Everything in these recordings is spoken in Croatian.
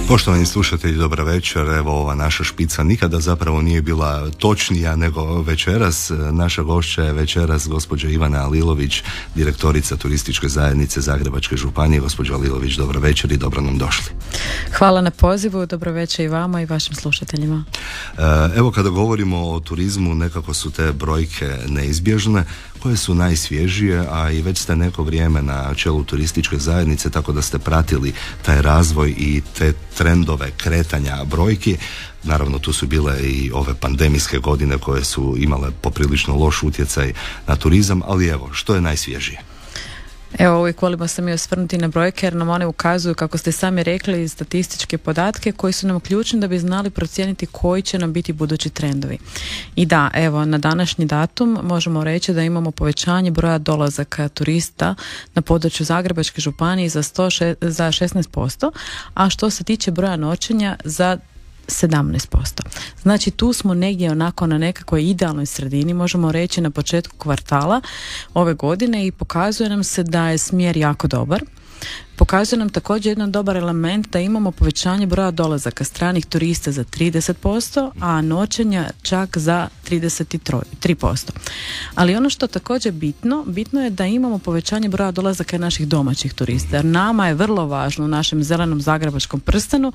Poštovani slušatelji, dobra večer. Evo, ova naša špica nikada zapravo nije bila točnija nego večeras. Naša gošća je večeras gospođa Ivana Alilović, direktorica Turističke zajednice Zagrebačke županije. Gospođo Alilović, dobra večer i dobro nam došli. Hvala na pozivu, dobro večer i vama i vašim slušateljima. Evo, kada govorimo o turizmu, nekako su te brojke neizbježne. Koje su najsvježije, a i već ste neko vrijeme na čelu Turističke zajednice, tako da ste pratili taj razvoj i te trendove kretanja brojki. Naravno, tu su bile i ove pandemijske godine koje su imale poprilično loš utjecaj na turizam, ali evo, što je najsvježije? Evo, uvijek volimo se mi osvrnuti na brojke jer nam one ukazuju, kako ste sami rekli, statističke podatke koji su nam ključni da bi znali procijeniti koji će nam biti budući trendovi. I da, evo, na današnji datum možemo reći da imamo povećanje broja dolazaka turista na području Zagrebačke županije za 16%, a što se tiče broja noćenja za 17%. Znači tu smo negdje onako na nekakvoj idealnoj sredini, možemo reći na početku kvartala ove godine, i pokazuje nam se da je smjer jako dobar. Pokazuje nam također jedan dobar element da imamo povećanje broja dolazaka stranih turista za 30%, a noćenja čak za 33%. Ali ono što također bitno je da imamo povećanje broja dolazaka naših domaćih turista. Jer nama je vrlo važno u našem zelenom zagrebačkom prstenu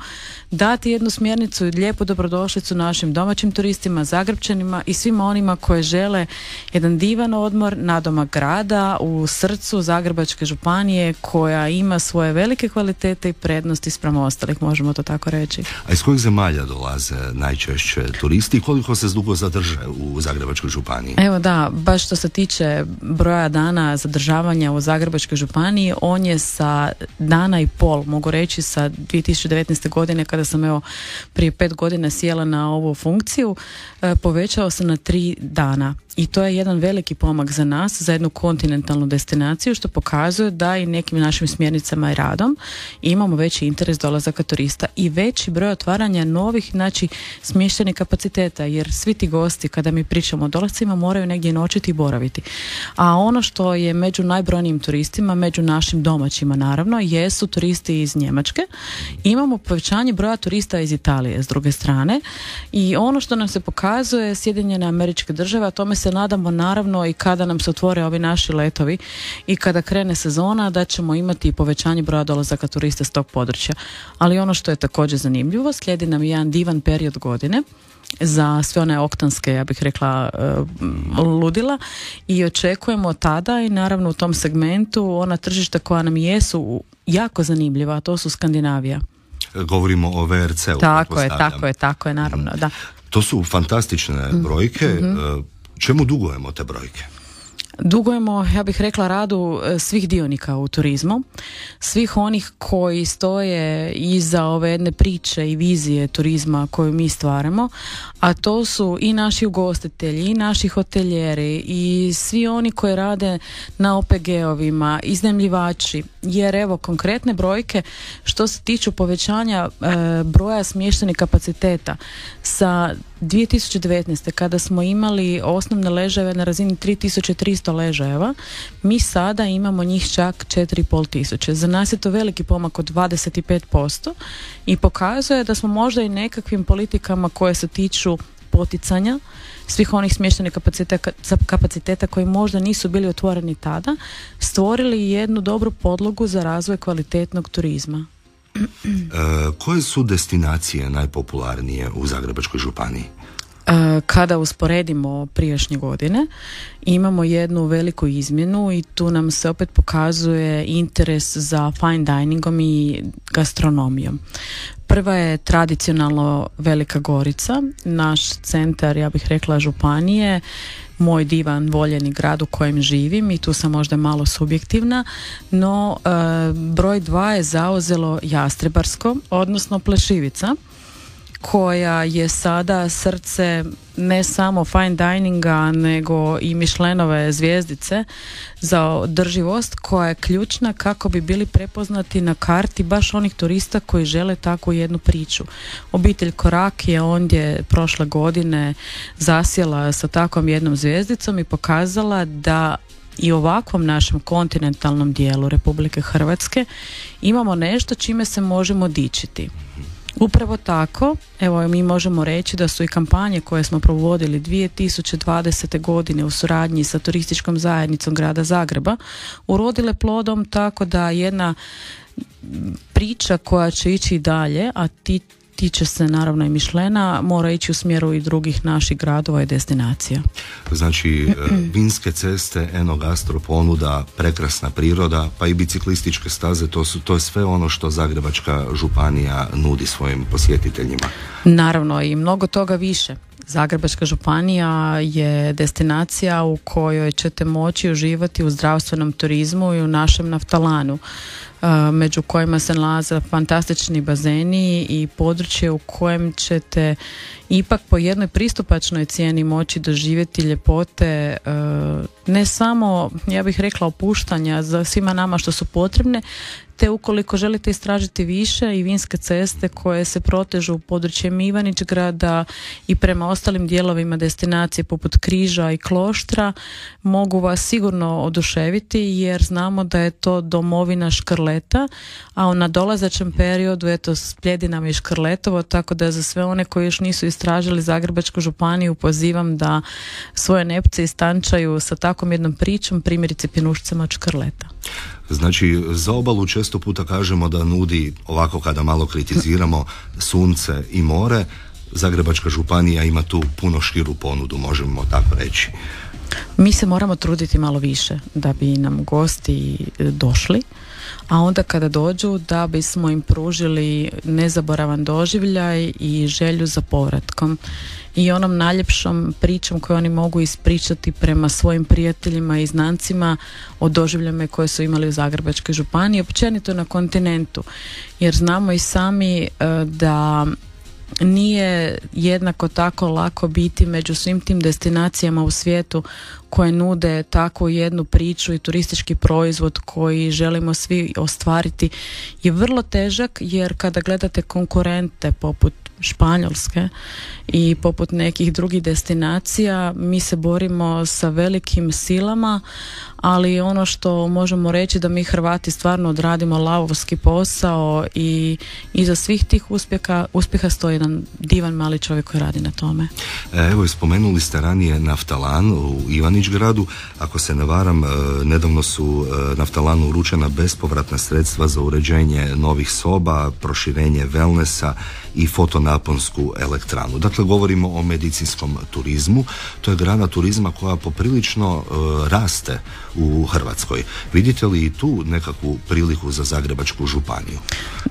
dati jednu smjernicu i lijepu dobrodošlicu našim domaćim turistima, Zagrepčanima i svima onima koji žele jedan divan odmor nadomak grada u srcu Zagrebačke županije, koja ima svoje velike kvalitete i prednosti spram ostalih, možemo to tako reći. A iz kojih zemalja dolaze najčešće turisti i koliko se dugo zadrže u Zagrebačkoj županiji? Evo da, baš što se tiče broja dana zadržavanja u Zagrebačkoj županiji, on je sa dana i pol, mogu reći sa 2019. godine, kada sam evo prije 5 godina sjela na ovu funkciju, povećao se na 3 dana. I to je jedan veliki pomak za nas, za jednu kontinentalnu destinaciju, što pokazuje da i nekim našim smjernicama i radom imamo veći interes dolazaka turista i veći broj otvaranja novih, znači, smještajnih kapaciteta, jer svi ti gosti, kada mi pričamo o dolascima, moraju negdje noćiti i boraviti. A ono što je među najbrojnijim turistima, među našim domaćima naravno, jesu turisti iz Njemačke. Imamo povećanje broja turista iz Italije s druge strane, i ono što nam se pokazuje, Sjedinjene Američke Države, a tome se nadamo naravno i kada nam se otvore ovi naši letovi i kada krene sezona, da ćemo imati povećanje broja dolazaka turista s tog područja. Ali ono što je također zanimljivo, slijedi nam jedan divan period godine za sve one oktanske, ja bih rekla, ludila, i očekujemo tada i naravno u tom segmentu ona tržišta koja nam jesu jako zanimljiva, a to su Skandinavija. Govorimo o VRC-u. Tako je, naravno, da. To su fantastične brojke. Čemu dugujemo te brojke? Dugujemo, ja bih rekla, radu svih dionika u turizmu, svih onih koji stoje iza ove jedne priče i vizije turizma koju mi stvaramo, a to su i naši ugostitelji, i naši hotelijeri, i svi oni koji rade na OPG-ovima, iznajmljivači, jer evo konkretne brojke što se tiču povećanja broja smještajnih kapaciteta sa 2019. kada smo imali osnovne ležajeve na razini 3300 ležajeva, mi sada imamo njih čak 4500. Za nas je to veliki pomak od 25% i pokazuje da smo možda i nekakvim politikama koje se tiču poticanja svih onih smještajnih kapaciteta koji možda nisu bili otvoreni tada, stvorili jednu dobru podlogu za razvoj kvalitetnog turizma. Koje su destinacije najpopularnije u Zagrebačkoj županiji? Kada usporedimo prijašnje godine, imamo jednu veliku izmjenu i tu nam se opet pokazuje interes za fine diningom i gastronomijom. Prva je tradicionalno Velika Gorica, naš centar, ja bih rekla, županije, moj divan, voljeni grad u kojem živim, i tu sam možda malo subjektivna, no broj 2 je zauzelo Jastrebarsko, odnosno Plešivica, koja je sada srce ne samo fine dininga, nego i Michelinove zvjezdice za održivost, koja je ključna kako bi bili prepoznati na karti baš onih turista koji žele takvu jednu priču. Obitelj Korak je ondje prošle godine zasjela sa takvom jednom zvjezdicom i pokazala da i ovakvom našem kontinentalnom dijelu Republike Hrvatske imamo nešto čime se možemo dičiti. Upravo tako. Evo, mi možemo reći da su i kampanje koje smo provodili 2020. godine u suradnji sa turističkom zajednicom grada Zagreba urodile plodom, tako da jedna priča koja će ići dalje, a tiče se naravno i Mišlena, mora ići u smjeru i drugih naših gradova i destinacija. Znači, vinske ceste, enogastro ponuda, prekrasna priroda, pa i biciklističke staze, to je sve ono što Zagrebačka županija nudi svojim posjetiteljima. Naravno, i mnogo toga više. Zagrebačka županija je destinacija u kojoj ćete moći uživati u zdravstvenom turizmu i u našem naftalanu, među kojima se nalaze fantastični bazeni i područje u kojem ćete ipak po jednoj pristupačnoj cijeni moći doživjeti ljepote, ne samo, ja bih rekla, opuštanja za svima nama što su potrebne, te ukoliko želite istražiti više i vinske ceste koje se protežu u područjem Ivanić-grada i prema ostalim dijelovima destinacije poput Križa i Kloštra, mogu vas sigurno oduševiti jer znamo da je to domovina škrleta, a u nadolazećem periodu slijedi nam i Škrletovo, tako da za sve one koji još nisu istražili Zagrebačku županiju pozivam da svoje nepce istančaju sa takvom jednom pričom, primjerice Pjenušcama od Škrleta. Znači, za obalu često puta kažemo da nudi, ovako kada malo kritiziramo, sunce i more. Zagrebačka županija ima tu puno širu ponudu, možemo tako reći. Mi se moramo truditi malo više da bi nam gosti došli, a onda kada dođu da bismo im pružili nezaboravan doživljaj i želju za povratkom i onom najljepšom pričom koju oni mogu ispričati prema svojim prijateljima i znancima o doživljama koje su imali u Zagrebačkoj županiji, općenito na kontinentu, jer znamo i sami da nije jednako tako lako biti među svim tim destinacijama u svijetu koje nude takvu jednu priču i turistički proizvod koji želimo svi ostvariti je vrlo težak, jer kada gledate konkurente poput Španjolske i poput nekih drugih destinacija, mi se borimo sa velikim silama, ali ono što možemo reći da mi Hrvati stvarno odradimo lavovski posao i iza svih tih uspjeha stoji jedan divan mali čovjek koji radi na tome. Evo, spomenuli ste ranije naftalan u Ivanić-gradu. Ako se ne varam, nedavno su naftalanu uručena bespovratna sredstva za uređenje novih soba, proširenje wellnessa i fotonaponsku elektranu. Dakle, govorimo o medicinskom turizmu. To je grana turizma koja poprilično raste u Hrvatskoj. Vidite li i tu nekakvu priliku za Zagrebačku županiju?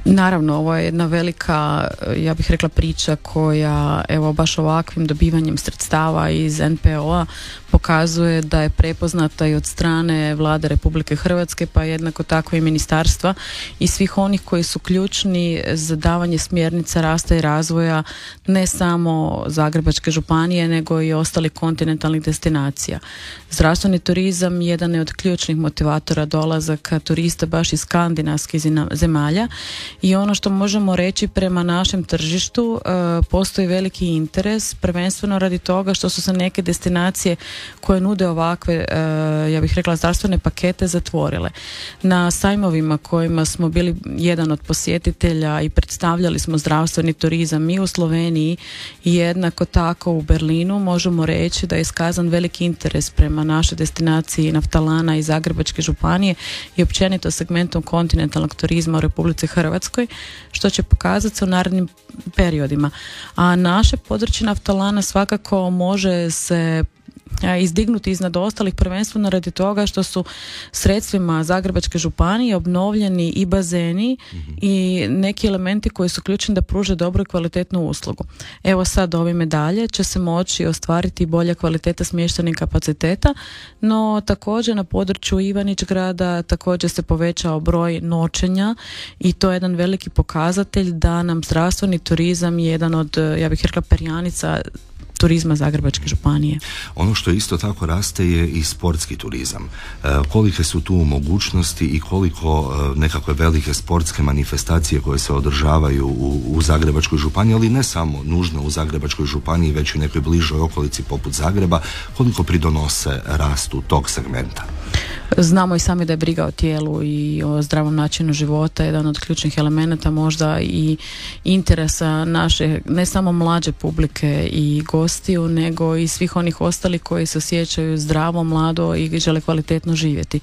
Naravno, ovo je jedna velika, ja bih rekla, priča koja, evo, baš ovakvim dobivanjem sredstava iz NPO-a pokazuje da je prepoznata i od strane Vlade Republike Hrvatske, pa jednako tako i ministarstva i svih onih koji su ključni za davanje smjernica rasta i razvoja ne samo Zagrebačke županije, nego i ostalih kontinentalnih destinacija. Zdravstveni turizam jedan je od ključnih motivatora dolazaka turista baš iz skandinavskih zemalja i ono što možemo reći prema našem tržištu, postoji veliki interes, prvenstveno radi toga što su se neke destinacije koje nude ovakve, ja bih rekla, zdravstvene pakete zatvorile. Na sajmovima kojima smo bili jedan od posjetitelja i predstavljali smo zdravstveni turizam i u Sloveniji i jednako tako u Berlinu, možemo reći da je iskazan veliki interes prema našoj destinaciji naftalana i Zagrebačke županije i općenito segmentom kontinentalnog turizma u Republici Hrvatskoj, što će pokazati se u narednim periodima. A naše područje naftalana svakako može se izdignuti iznad ostalih, prvenstveno radi toga što su sredstvima Zagrebačke županije obnovljeni i bazeni i neki elementi koji su ključni da pruže dobru i kvalitetnu uslugu. Evo sad ove medalje će se moći ostvariti bolja kvaliteta smještajnih kapaciteta, no također na području Ivanić-grada također se povećao broj noćenja i to je jedan veliki pokazatelj da nam zdravstveni turizam je jedan od, ja bih rekla, perjanica turizma Zagrebačke županije. Ono što isto tako raste je i sportski turizam. Kolike su tu mogućnosti i koliko nekakve velike sportske manifestacije koje se održavaju u Zagrebačkoj županiji, ali ne samo nužno u Zagrebačkoj županiji, već u nekoj bližoj okolici poput Zagreba, koliko pridonose rastu tog segmenta? Znamo i sami da je briga o tijelu i o zdravom načinu života jedan od ključnih elemenata, možda i interesa naše, ne samo mlađe publike i gostiju, nego i svih onih ostalih koji se osjećaju zdravo, mlado i žele kvalitetno živjeti.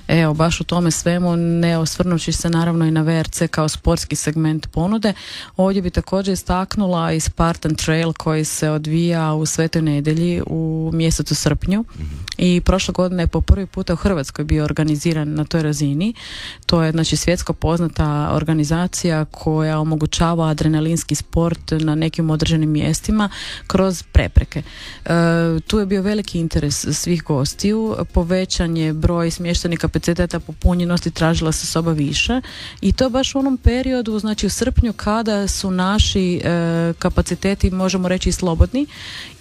Evo, baš u tome svemu, ne osvrnući se naravno i na VRC kao sportski segment ponude, ovdje bi također istaknula i Spartan Trail koji se odvija u Svetoj Nedjelji u mjesecu srpnju i prošle godine je po prvi puta u Hrvatskoj bio organiziran na toj razini. To je znači svjetsko poznata organizacija koja omogućava adrenalinski sport na nekim određenim mjestima kroz prepreke. Tu je bio veliki interes svih gostiju, povećan je broj smještajnih kapaciteta, popunjenosti tražila se soba više i to baš u onom periodu, znači u srpnju kada su naši kapaciteti, možemo reći, slobodni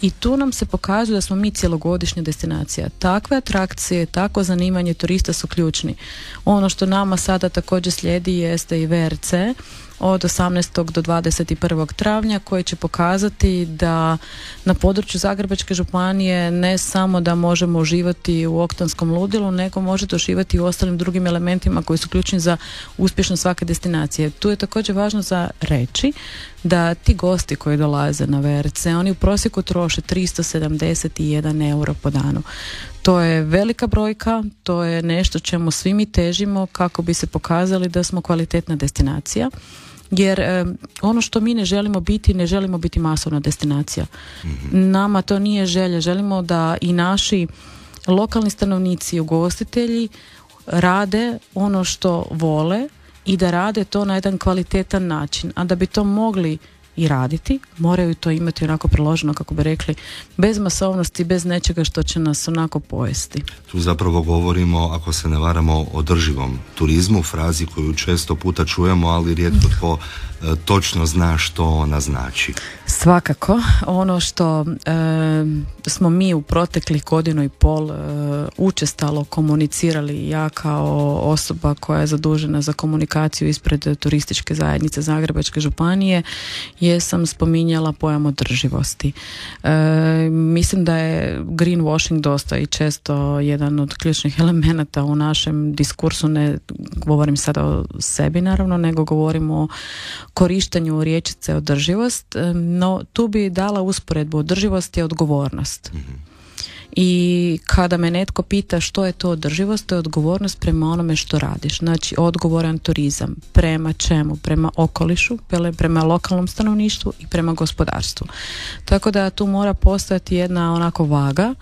i tu nam se pokazuje da smo mi cjelogodišnja destinacija. Takve atrakcije, takvo zanimanje turista su ključni. Ono što nama sada također slijedi jeste i VRC od 18. do 21. travnja koji će pokazati da na području Zagrebačke županije ne samo da možemo uživati u oktonskom ludilu, nego možete uživati i u ostalim drugim elementima koji su ključni za uspješnost svake destinacije. Tu je također važno za reći da ti gosti koji dolaze na VRC, oni u prosjeku troše 371 euro po danu. To je velika brojka, to je nešto čemu svi mi težimo kako bi se pokazali da smo kvalitetna destinacija. Jer ono što mi ne želimo biti masovna destinacija. Nama to nije želja. Želimo da i naši lokalni stanovnici, ugostitelji rade ono što vole i da rade to na jedan kvalitetan način. A da bi to mogli i raditi, moraju to imati onako priloženo, kako bi rekli, bez masovnosti, bez nečega što će nas onako pojesti. Tu zapravo govorimo, ako se ne varamo, o održivom turizmu, frazi koju često puta čujemo, ali rijetko tko točno zna što ona znači. Svakako, ono što smo mi u proteklih 1.5 učestalo komunicirali, ja kao osoba koja je zadužena za komunikaciju ispred turističke zajednice Zagrebačke županije, jesam spominjala pojam održivosti. Mislim da je greenwashing dosta i često jedan od ključnih elemenata u našem diskursu, ne govorim sada o sebi naravno, nego govorimo o korištenju riječice održivost, no tu bi dala usporedbu. Održivost je odgovornost. I kada me netko pita što je to održivost, to je odgovornost prema onome što radiš. Znači odgovoran turizam. Prema čemu? Prema okolišu, prema lokalnom stanovništvu i prema gospodarstvu. Tako da tu mora postojati jedna onako vaga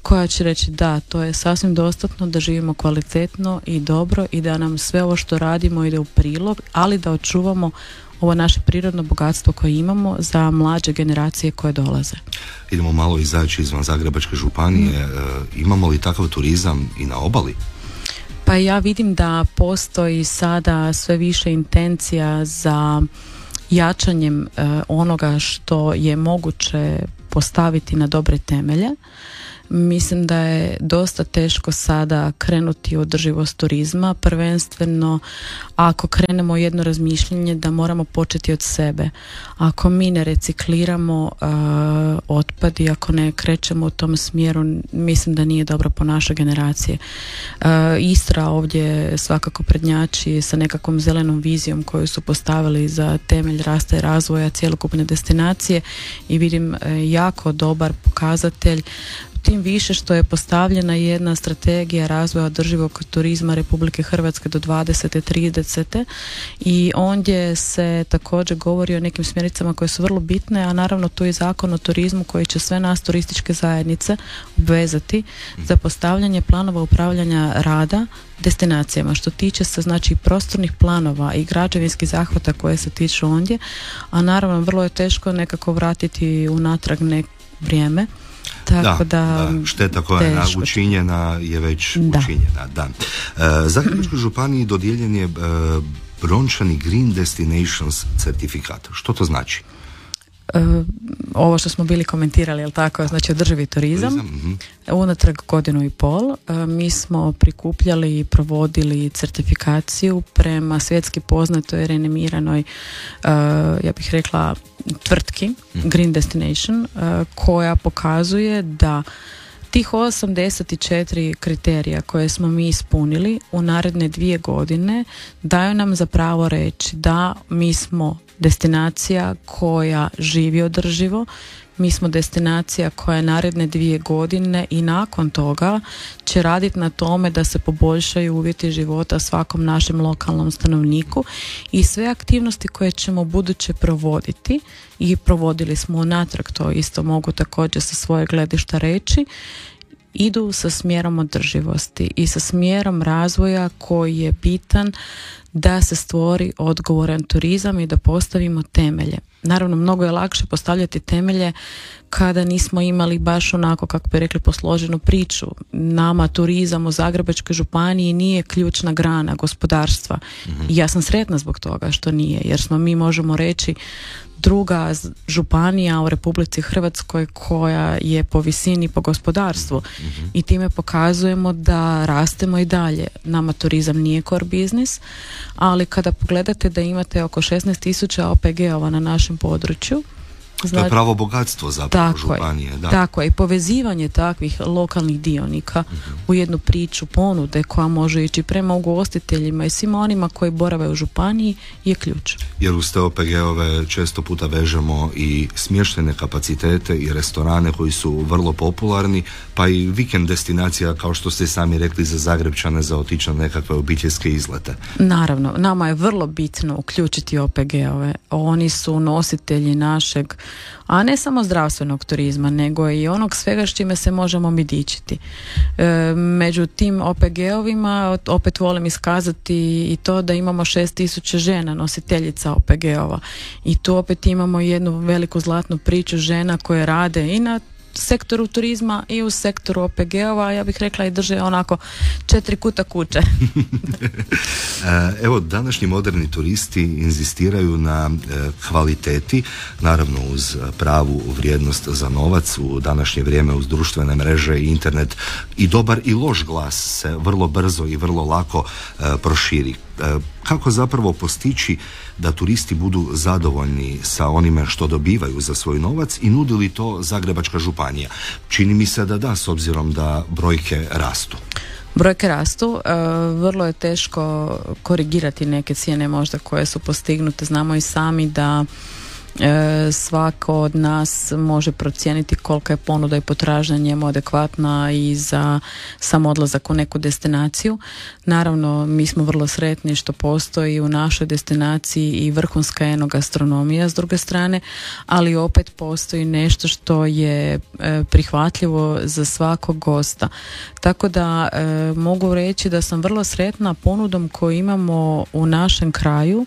koja će reći da, to je sasvim dostatno da živimo kvalitetno i dobro i da nam sve ovo što radimo ide u prilog, ali da očuvamo ovo naše prirodno bogatstvo koje imamo za mlađe generacije koje dolaze. Idemo malo izaći izvan Zagrebačke županije. Imamo li takav turizam i na obali? Pa ja vidim da postoji sada sve više intencija za jačanjem onoga što je moguće postaviti na dobre temelje. Mislim da je dosta teško sada krenuti u održivost turizma, prvenstveno ako krenemo jedno razmišljanje da moramo početi od sebe. Ako mi ne recikliramo otpad i ako ne krećemo u tom smjeru, mislim da nije dobro po našoj generacije. Istra ovdje svakako prednjači sa nekakvom zelenom vizijom koju su postavili za temelj rasta i razvoja cjelokupne destinacije i vidim jako dobar pokazatelj, tim više što je postavljena jedna strategija razvoja održivog turizma Republike Hrvatske do 2030. i ondje se također govori o nekim smjernicama koje su vrlo bitne, a naravno tu je Zakon o turizmu koji će sve nas turističke zajednice obvezati za postavljanje planova upravljanja rada destinacijama, što tiče se znači prostornih planova i građevinskih zahvata koje se tiču ondje, a naravno vrlo je teško nekako vratiti unatrag vrijeme. Tako da šteta koja je učinjena je već učinjena. Da. Zagrebačkoj županiji dodijeljen je brončani Green Destinations certifikat. Što to znači? Ovo što smo bili komentirali, jel tako, znači održivi turizam. Unatrag 1.5 mi smo prikupljali i provodili certifikaciju prema svjetski poznatoj renemiranoj, ja bih rekla, tvrtki Green Destination, koja pokazuje da Tih 84 kriterija koje smo mi ispunili u naredne 2 godine daju nam za pravo reći da mi smo destinacija koja živi održivo, mi smo destinacija koja naredne 2 godine i nakon toga će raditi na tome da se poboljšaju uvjeti života svakom našem lokalnom stanovniku i sve aktivnosti koje ćemo buduće provoditi i provodili smo unatrag, to isto mogu također sa svoje gledišta reći, idu sa smjerom održivosti i sa smjerom razvoja koji je bitan da se stvori odgovoran turizam i da postavimo temelje. Naravno, mnogo je lakše postavljati temelje kada nismo imali baš onako, kako bi rekli, posloženu priču. Nama turizam u Zagrebačkoj županiji nije ključna grana gospodarstva. I ja sam sretna zbog toga što nije, jer smo mi, možemo reći, druga županija u Republici Hrvatskoj koja je po visini po gospodarstvu i time pokazujemo da rastemo i dalje. Nama turizam nije core business, ali kada pogledate da imate oko 16.000 OPG-ova na našem području, to je pravo bogatstvo zapravo županije. Da. Tako je, i povezivanje takvih lokalnih dionika u jednu priču ponude koja može ići prema ugostiteljima i svima onima koji borave u županiji je ključ. Jer uz te OPG-ove često puta vežemo i smještajne kapacitete i restorane koji su vrlo popularni, pa i vikend destinacija, kao što ste sami rekli, za Zagrebčane za otići na nekakve obiteljske izlete. Naravno, nama je vrlo bitno uključiti OPG-ove. Oni su nositelji našeg, a ne samo zdravstvenog turizma, nego i onog svega s čime se možemo mi dičiti. Među tim OPG-ovima opet volim iskazati i to da imamo 6.000 žena nositeljica OPG-ova i tu opet imamo jednu veliku zlatnu priču žena koje rade i na sektoru turizma i u sektoru OPG-ova, ja bih rekla i drže onako 4 kuta kuće. Evo, današnji moderni turisti inzistiraju na kvaliteti, naravno uz pravu vrijednost za novac. U današnje vrijeme uz društvene mreže i internet i dobar i loš glas se vrlo brzo i vrlo lako proširi. Kako zapravo postići da turisti budu zadovoljni sa onime što dobivaju za svoj novac i nudi li to Zagrebačka županija? Čini mi se da da, s obzirom da brojke rastu. Brojke rastu, vrlo je teško korigirati neke cijene možda koje su postignute. Znamo i sami da svako od nas može procijeniti kolika je ponuda i potražnja njemu adekvatna i za sam odlazak u neku destinaciju. Naravno, mi smo vrlo sretni što postoji u našoj destinaciji i vrhunska enogastronomija s druge strane, ali opet postoji nešto što je prihvatljivo za svakog gosta. Tako da mogu reći da sam vrlo sretna ponudom koju imamo u našem kraju,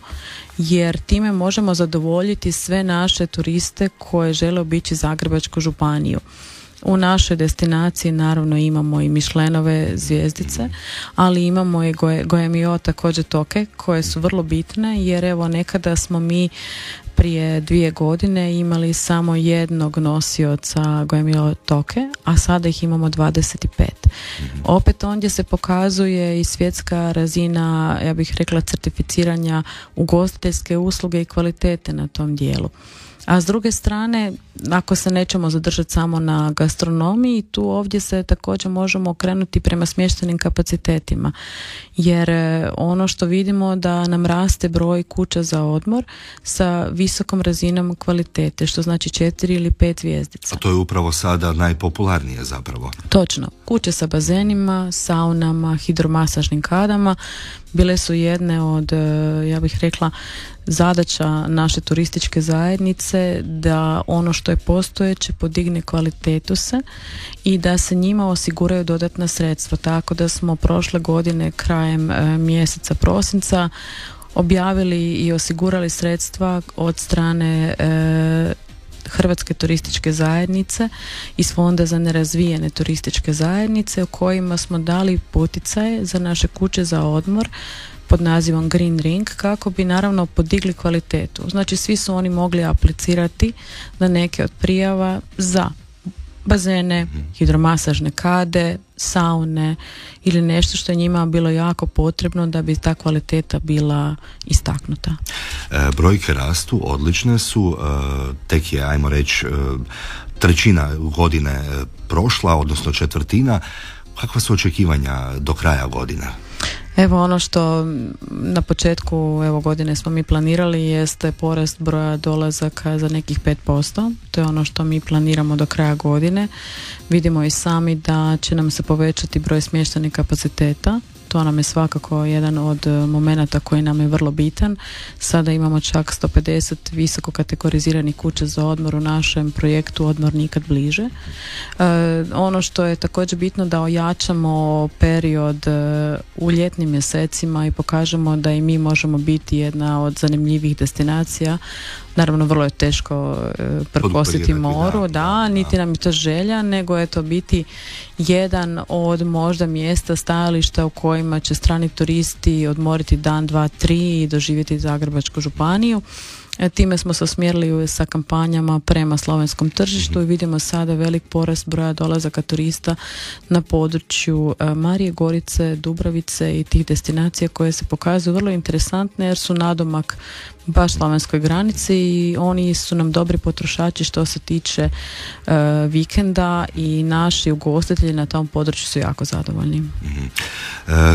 jer time možemo zadovoljiti sve naše turiste koje žele obići Zagrebačku županiju. U našoj destinaciji naravno imamo i Michelinove zvjezdice, ali imamo i Goemio također toke koje su vrlo bitne, jer evo nekada smo mi prije 2 godine imali samo jednog nosioca Goemio toke, a sada ih imamo 25. Opet ondje se pokazuje i svjetska razina, ja bih rekla, certificiranja ugostiteljske usluge i kvalitete na tom dijelu. A s druge strane, ako se nećemo zadržati samo na gastronomiji, tu ovdje se također možemo okrenuti prema smještajnim kapacitetima, jer ono što vidimo da nam raste broj kuća za odmor sa visokom razinom kvalitete, što znači 4 ili 5 zvjezdica. A to je upravo sada najpopularnije zapravo. Točno. Kuće sa bazenima, saunama, hidromasažnim kadama bile su jedne od, ja bih rekla, zadaća naše turističke zajednice da ono što je postojeće podigne kvalitetu se i da se njima osiguraju dodatna sredstva. Tako da smo prošle godine krajem mjeseca prosinca objavili i osigurali sredstva od strane Hrvatske turističke zajednice iz Fonda za nerazvijene turističke zajednice u kojima smo dali poticaje za naše kuće za odmor pod nazivom Green Ring kako bi naravno podigli kvalitetu. Znači svi su oni mogli aplicirati na neke od prijava za bazene, hidromasažne kade, saune ili nešto što je njima bilo jako potrebno da bi ta kvaliteta bila istaknuta. Brojke rastu, odlične su, tek je, ajmo reći, trećina godine prošla, odnosno četvrtina. Kakva su očekivanja do kraja godine? Evo, ono što na početku godine smo mi planirali jeste porast broja dolazaka za nekih 5%. To je ono što mi planiramo do kraja godine. Vidimo i sami da će nam se povećati broj smještajnih kapaciteta. To nam je svakako jedan od momenata koji nam je vrlo bitan. Sada imamo čak 150 visoko kategoriziranih kuća za odmor u našem projektu Odmor nikad bliže. Ono što je također bitno da ojačamo period u ljetnim mjesecima i pokažemo da i mi možemo biti jedna od zanimljivih destinacija. Naravno, vrlo je teško prkositi moru, niti nam je to želja, nego je to biti jedan od možda mjesta, stajališta u kojima će strani turisti odmoriti dan, dva, tri i doživjeti Zagrebačku županiju. Time smo se usmjerili sa kampanjama prema slovenskom tržištu i vidimo sada velik porast broja dolazaka turista na području Marije Gorice, Dubravice i tih destinacija koje se pokazuju vrlo interesantne jer su nadomak baš slovenskoj granici i oni su nam dobri potrošači što se tiče vikenda i naši ugostitelji na tom području su jako zadovoljni.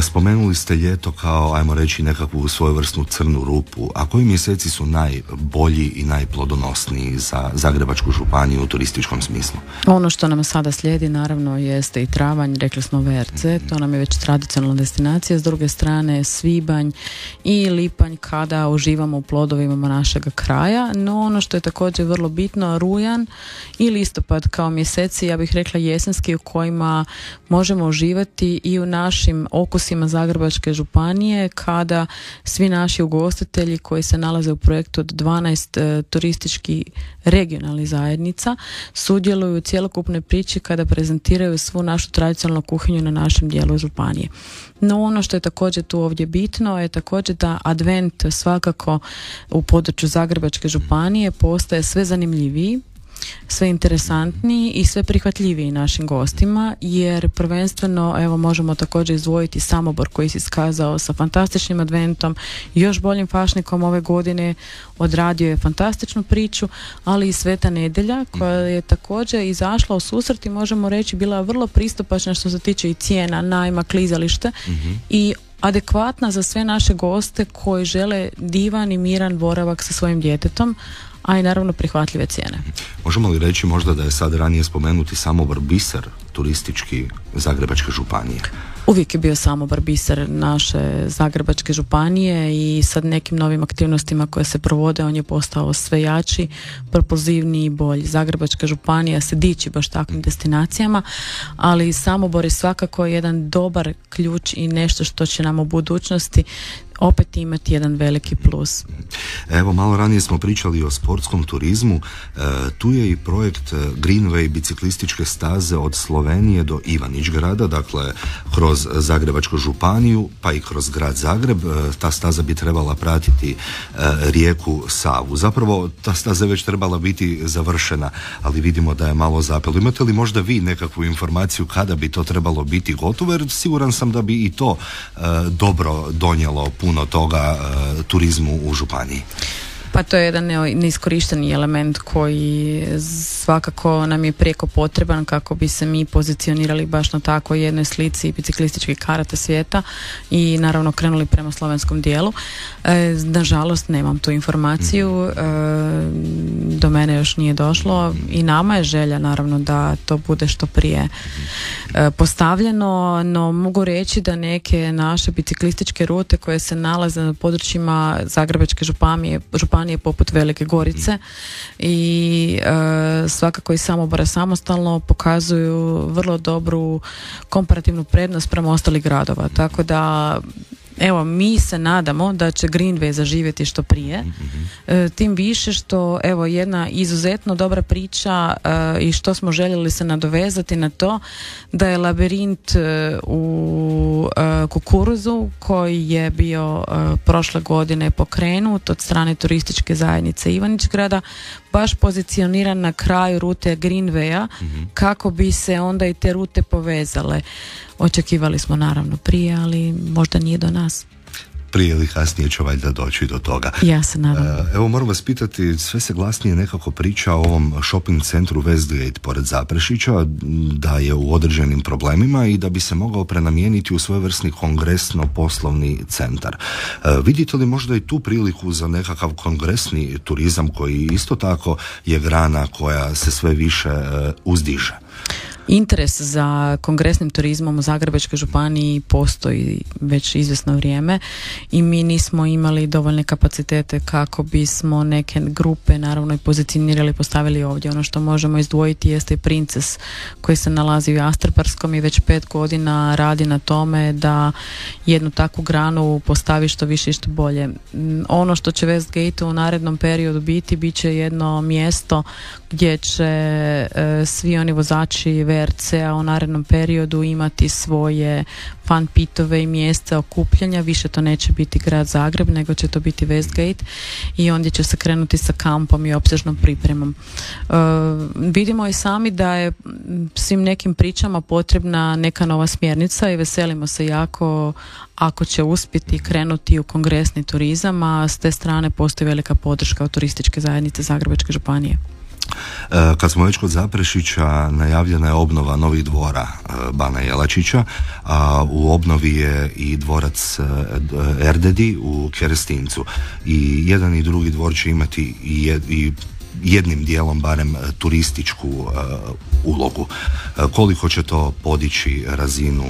Spomenuli ste ljeto kao, ajmo reći, nekakvu svojevrsnu crnu rupu. A koji mjeseci su najbolji i najplodonosniji za Zagrebačku županiju u turističkom smislu? Ono što nam sada slijedi naravno jeste i travanj, rekli smo VRC, to nam je već tradicionalna destinacija, s druge strane svibanj i lipanj kada uživamo u plodovima našega kraja, no ono što je također vrlo bitno, rujan i listopad kao mjeseci, ja bih rekla jesenski, u kojima možemo uživati i u našim okusima Zagrebačke županije kada svi naši ugostitelji koji se nalaze u projektu od 12 turističkih regionalnih zajednica sudjeluju u cjelokupnoj priči kada prezentiraju svu našu tradicionalnu kuhinju na našem dijelu županije. No ono što je također tu ovdje bitno je također da advent svakako u području Zagrebačke županije postaje sve zanimljiviji, sve interesantniji i sve prihvatljiviji našim gostima, jer prvenstveno možemo također izdvojiti Samobor koji se iskazao sa fantastičnim adventom, još boljim fašnikom ove godine, odradio je fantastičnu priču, ali i Sveta nedjelja koja je također izašla u susret i možemo reći bila vrlo pristupačna što se tiče i cijena, najma, klizalište i adekvatna za sve naše goste koji žele divan i miran boravak sa svojim djetetom, a i naravno prihvatljive cijene. Možemo li reći možda da je sad ranije spomenuti Samobor biser turistički Zagrebačke županije? Uvijek je bio Samobor biser naše Zagrebačke županije i sad nekim novim aktivnostima koje se provode on je postao sve jači, propulzivniji i bolji. Zagrebačka županija se diči baš takvim destinacijama, ali Samobor je svakako jedan dobar ključ i nešto što će nam u budućnosti opet imati jedan veliki plus. Evo, malo ranije smo pričali o sportskom turizmu. Tu je i projekt Greenway biciklističke staze od Slovenije do Ivanić-grada, dakle kroz Zagrebačku županiju pa i kroz grad Zagreb. Ta staza bi trebala pratiti rijeku Savu. Zapravo ta staza je već trebala biti završena, ali vidimo da je malo zapelo. Imate li možda vi nekakvu informaciju kada bi to trebalo biti gotovo, jer siguran sam da bi i to dobro donijelo puno toga turizmu u županiji. Pa to je jedan neiskorišteni element koji svakako nam je prijeko potreban kako bi se mi pozicionirali baš na tako jednoj slici biciklističkih karata svijeta i naravno krenuli prema slovenskom dijelu. Nažalost nemam tu informaciju, do mene još nije došlo i nama je želja naravno da to bude što prije postavljeno, no mogu reći da neke naše biciklističke rute koje se nalaze na područjima Zagrebačke županije poput Velike Gorice i svakako i Samobora samostalno pokazuju vrlo dobru komparativnu prednost prema ostalih gradova, tako da evo, mi se nadamo da će Greenway zaživjeti što prije, tim više što, evo, jedna izuzetno dobra priča i što smo željeli se nadovezati na to, da je labirint u kukuruzu koji je bio prošle godine pokrenut od strane turističke zajednice Ivanić-grada, baš pozicioniran na kraju rute Greenwaya, kako bi se onda i te rute povezale. Očekivali smo naravno prije, ali možda nije do nas. Prije ili kasnije će valjda doći do toga. Ja se nadam. Evo, moram vas pitati, sve se glasnije nekako priča o ovom shopping centru Westgate pored Zaprešića, da je u određenim problemima i da bi se mogao prenamijeniti u svojevrsni kongresno-poslovni centar. Vidite li možda i tu priliku za nekakav kongresni turizam koji isto tako je grana koja se sve više uzdiže? Interes za kongresnim turizmom u Zagrebačkoj županiji postoji već izvjesno vrijeme i mi nismo imali dovoljne kapacitete kako bismo neke grupe naravno i pozicionirali, postavili ovdje. Ono što možemo izdvojiti jeste i Princes koji se nalazi u Jastrebarskom i već 5 godina radi na tome da jednu takvu granu postavi što više i što bolje. Ono što će Westgate u narednom periodu bit će jedno mjesto gdje će svi oni vozači VRC-a u narednom periodu imati svoje fan pitove i mjesta okupljanja. Više to neće biti grad Zagreb, nego će to biti Westgate i ondje će se krenuti sa kampom i opsežnom pripremom. Vidimo i sami da je svim nekim pričama potrebna neka nova smjernica i veselimo se jako ako će uspjeti krenuti u kongresni turizam, a s te strane postoji velika podrška od turističke zajednice Zagrebačke županije. Kad smo već kod Zaprešića, najavljena je obnova novih dvora Bana Jelačića, a u obnovi je i dvorac Erdedi u Kerestincu. I jedan i drugi dvor će imati i jednim dijelom barem turističku ulogu. Koliko će to podići razinu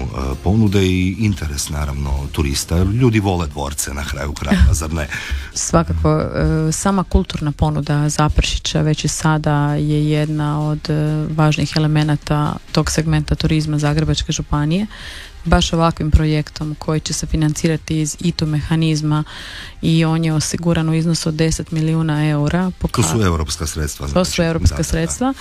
ponude i interes naravno turista, jer ljudi vole dvorce na kraju krajeva, zar ne? Svakako, sama kulturna ponuda Zaprešića već i sada je jedna od važnih elemenata tog segmenta turizma Zagrebačke županije. Baš ovakvim projektom koji će se financirati iz ITU mehanizma i on je osiguran u iznosu od 10 milijuna eura. To su europska sredstva. To su europska sredstva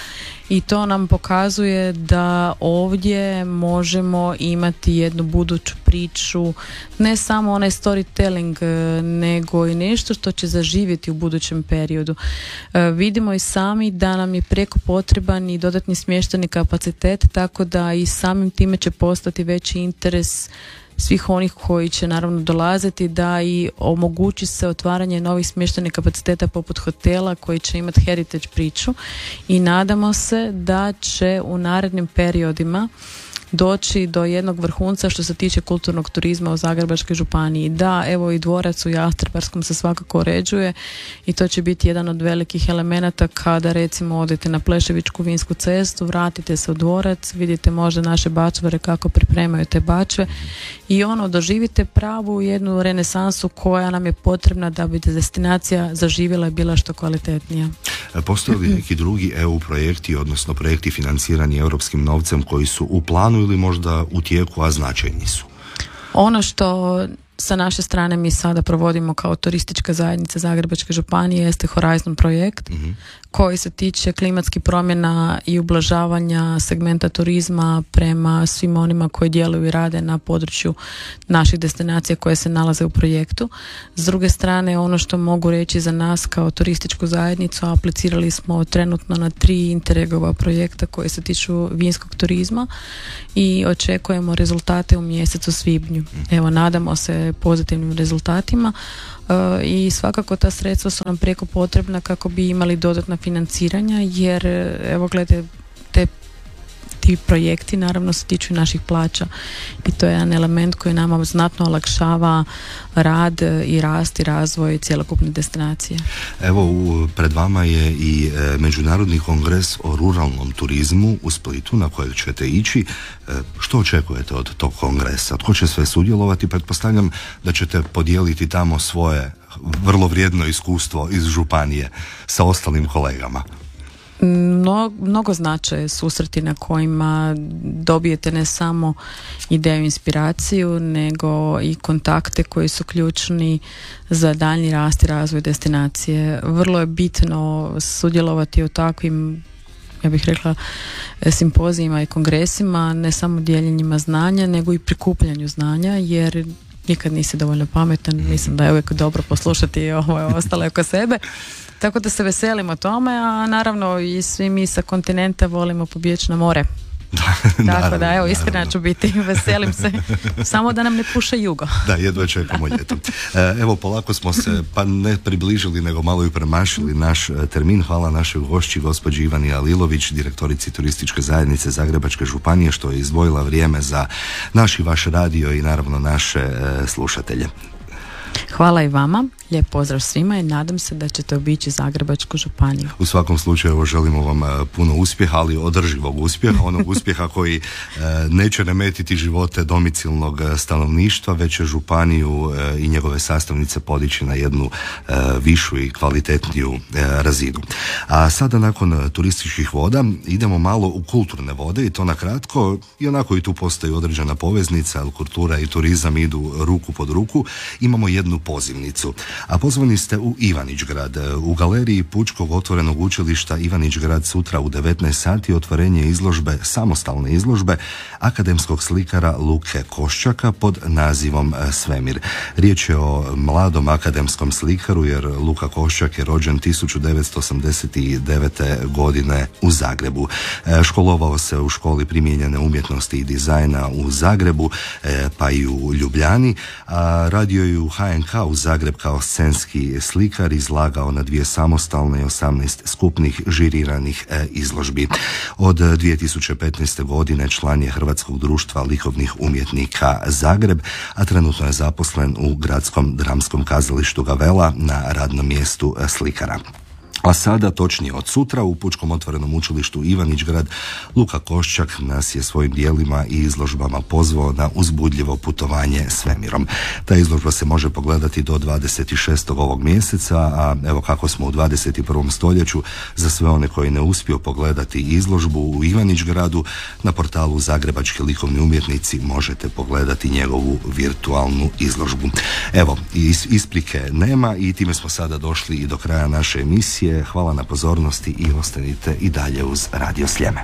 i to nam pokazuje da ovdje možemo imati jednu buduću priču, ne samo onaj storytelling, nego i nešto što će zaživjeti u budućem periodu. Vidimo i sami da nam je prijeko potreban i dodatni smještajni kapacitet, tako da i samim time će postati veći interes svih onih koji će naravno dolaziti, da i omogući se otvaranje novih smještajnih kapaciteta poput hotela koji će imati heritage priču i nadamo se da će u narednim periodima doći do jednog vrhunca što se tiče kulturnog turizma u Zagrebačkoj županiji. Da, evo i dvorac u Jastrebarskom se svakako uređuje i to će biti jedan od velikih elemenata kada recimo odete na Pleševičku vinsku cestu, vratite se u dvorac, vidite možda naše bačvare kako pripremaju te bačve i doživite pravu jednu renesansu koja nam je potrebna da bi destinacija zaživjela i bila što kvalitetnija. Postoje li neki drugi EU projekti, odnosno projekti financirani europskim novcem koji su u planu ili možda u tijeku, a značajni su? Ono što sa naše strane mi sada provodimo kao turistička zajednica Zagrebačke županije jeste Horizon projekt koji se tiče klimatskih promjena i ublažavanja segmenta turizma prema svim onima koji djeluju i rade na području naših destinacija koje se nalaze u projektu. S druge strane, ono što mogu reći za nas kao turističku zajednicu, aplicirali smo trenutno na 3 Interregova projekta koji se tiču vinskog turizma i očekujemo rezultate u mjesecu svibnju. Evo, nadamo se pozitivnim rezultatima i svakako ta sredstva su nam prijeko potrebna kako bi imali dodatna financiranja, jer evo gledajte, ti projekti naravno se tiču naših plaća i to je jedan element koji nama znatno olakšava rad i rast i razvoj cjelokupne destinacije. Evo, pred vama je i Međunarodni kongres o ruralnom turizmu u Splitu na kojeg ćete ići. Što očekujete od tog kongresa? Tko će sve sudjelovati? Pretpostavljam da ćete podijeliti tamo svoje vrlo vrijedno iskustvo iz županije sa ostalim kolegama. mnogo znače susreti na kojima dobijete ne samo ideju, inspiraciju, nego i kontakte koji su ključni za daljnji rast i razvoj destinacije. Vrlo je bitno sudjelovati u takvim, ja bih rekla, simpozijima i kongresima, ne samo dijeljenjima znanja, nego i prikupljanju znanja, jer nikad nisi dovoljno pametan. Mislim da je uvijek dobro poslušati ostale oko sebe. Tako da se veselimo tome, a naravno i svi mi sa kontinenta volimo pobjeći na more. Tako da, evo, iskreno ću biti, veselim se, samo da nam ne puše jugo. Da, jedva čekamo ljeto. Evo, polako smo se, pa ne približili, nego malo i premašili naš termin. Hvala našoj gošći, gospođi Ivani Alilović, direktorici Turističke zajednice Zagrebačke županije, što je izdvojila vrijeme za naš i vaš radio i naravno naše slušatelje. Hvala i vama, lijep pozdrav svima i nadam se da ćete obići Zagrebačku županiju. U svakom slučaju želimo vam puno uspjeha, ali održivog uspjeha, onog uspjeha koji neće remetiti živote domicilnog stanovništva, već će županiju i njegove sastavnice podići na jednu višu i kvalitetniju razinu. A sada nakon turističkih voda idemo malo u kulturne vode i to na kratko, i onako i tu postoji određena poveznica, ali kultura i turizam idu ruku pod ruku. Imamo jednu pozivnicu. A pozvani ste u Ivanić-grad. U galeriji Pučkog otvorenog učilišta Ivanić-grad sutra u 19 sati otvorenje izložbe, samostalne izložbe akademskog slikara Luke Koščaka pod nazivom Svemir. Riječ je o mladom akademskom slikaru, jer Luka Koščak je rođen 1989. godine u Zagrebu. Školovao se u školi primijenjene umjetnosti i dizajna u Zagrebu, pa i u Ljubljani, a radio je u HNK u Zagreb kao scenski slikar, izlagao na 2 samostalne i 18 skupnih žiriranih izložbi. Od 2015. godine član je Hrvatskog društva likovnih umjetnika Zagreb, a trenutno je zaposlen u Gradskom dramskom kazalištu Gavella na radnom mjestu slikara. A sada, točnije od sutra, u Pučkom otvorenom učilištu Ivanić-grad, Luka Koščak nas je svojim dijelima i izložbama pozvao na uzbudljivo putovanje svemirom. Ta izložba se može pogledati do 26. ovog mjeseca, a evo kako smo u 21. stoljeću, za sve one koji ne uspiju pogledati izložbu u Ivanić-gradu, na portalu Zagrebački likovni umjetnici možete pogledati njegovu virtualnu izložbu. Evo, isprike nema i time smo sada došli i do kraja naše emisije. Hvala na pozornosti i ostanite i dalje uz Radio Sljeme.